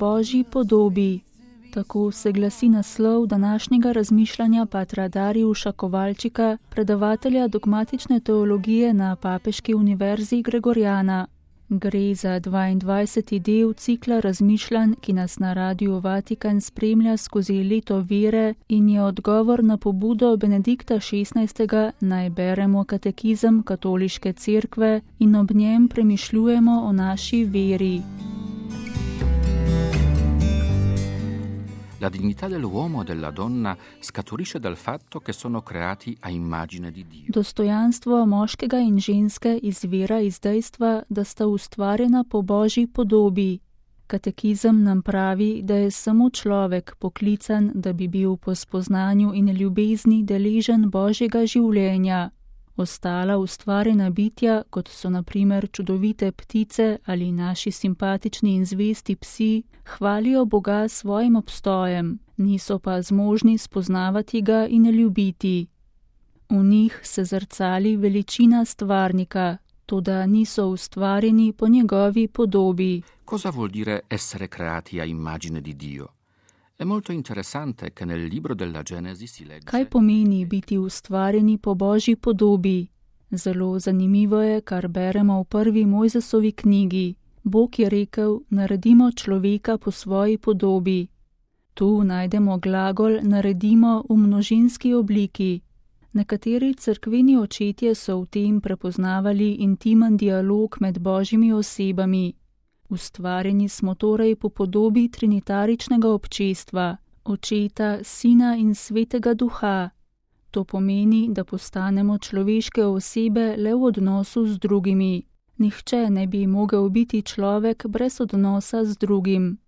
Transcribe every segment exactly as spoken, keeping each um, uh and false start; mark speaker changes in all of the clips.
Speaker 1: Božji podobi. Tako se glasi naslov današnjega razmišljanja patra Darijuša Kovalčika, predavatelja dogmatične teologije na Papeški univerzi Gregorjana. Gre za dvaindvajseti del cikla razmišljanj, ki nas na Radiu Vatikan spremlja skozi leto vere in je odgovor na pobudo Benedikta šestnajstega, naj beremo katekizem Katoliške cerkve in ob njem premišljujemo o naši veri.
Speaker 2: La dignità dell'uomo e della donna scaturisce dal fatto che sono creati a immagine di Dio.
Speaker 1: Dostojanstvo moškega in ženske izvira iz dejstva, da sta ustvarjena po Božji podobi. Katekizem nam pravi, da je samo človek poklican, da bi bil po spoznanju in ljubezni deležen Božjega življenja. Ostala ustvarjena bitja, kot so na primer čudovite ptice ali naši simpatični in zvesti psi, hvalijo Boga s svojim obstojem, niso pa zmožni spoznavati ga in ljubiti. V njih se zrcali veličina stvarnika, toda niso ustvarjeni po njegovi podobi.
Speaker 2: Cosa vuol dire essere creati a immagine di Dio? È molto interessante che nel libro della Genesi si legge...
Speaker 1: Kaj pomeni biti ustvarjeni po Božji podobi? Zelo zanimivo je, kar beremo v prvi Mojzesovi knjigi. Bog je rekel, naredimo človeka po svoji podobi. Tu najdemo glagol naredimo v množinski obliki. Nekateri cerkveni očetje so v tem prepoznavali intimen dialog med Božjimi osebami. Ustvarjeni smo torej po podobi trinitaričnega občestva, Očeta, Sina in Svetega Duha. To pomeni, da postanemo človeške osebe le v odnosu z drugimi. Nihče ne bi mogel biti človek brez odnosa z drugim.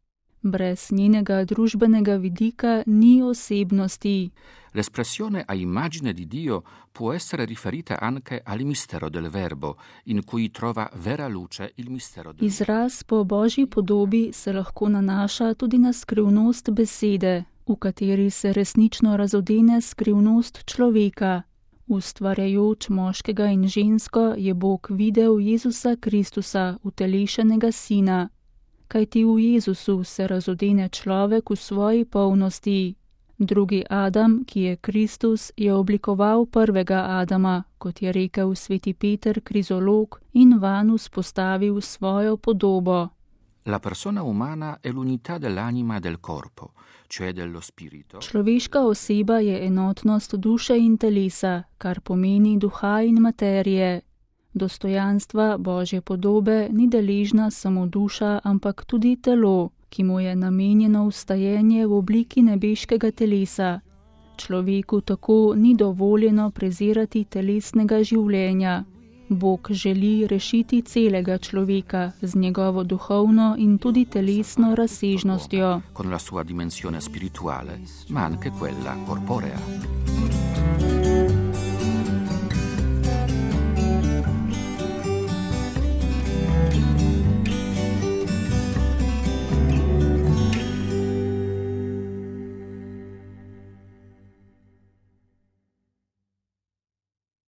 Speaker 1: Brez njenega družbenega vidika ni osebnosti.
Speaker 2: L'espressione a immagine di Dio può essere riferita anche al mistero del Verbo, in cui trova vera luce il mistero del
Speaker 1: Izraz po Božji podobi se lahko nanaša tudi na skrivnost besede, v kateri se resnično razodene skrivnost človeka. Ustvarjajoč moškega in žensko je Bog videl Jezusa Kristusa, utelešenega Sina. Kajti v Jezusu se razodene človek v svoji polnosti. Drugi Adam, ki je Kristus, je oblikoval prvega Adama, kot je rekel sveti Peter Krizolog, in vanj vzpostavil svojo podobo.
Speaker 2: La persona umana è l'unità dell'anima e del corpo, cioè dello spirito.
Speaker 1: Človeška oseba je enotnost duše in telesa, kar pomeni duha in materije. Dostojanstva Božje podobe ni deležna samo duša, ampak tudi telo, ki mu je namenjeno vstajenje v obliki nebeškega telesa. Človeku tako ni dovoljeno prezirati telesnega življenja. Bog želi rešiti celega človeka z njegovo duhovno in tudi telesno razsežnostjo.
Speaker 2: Con la sua dimensione spirituale, ma anche quella corporea.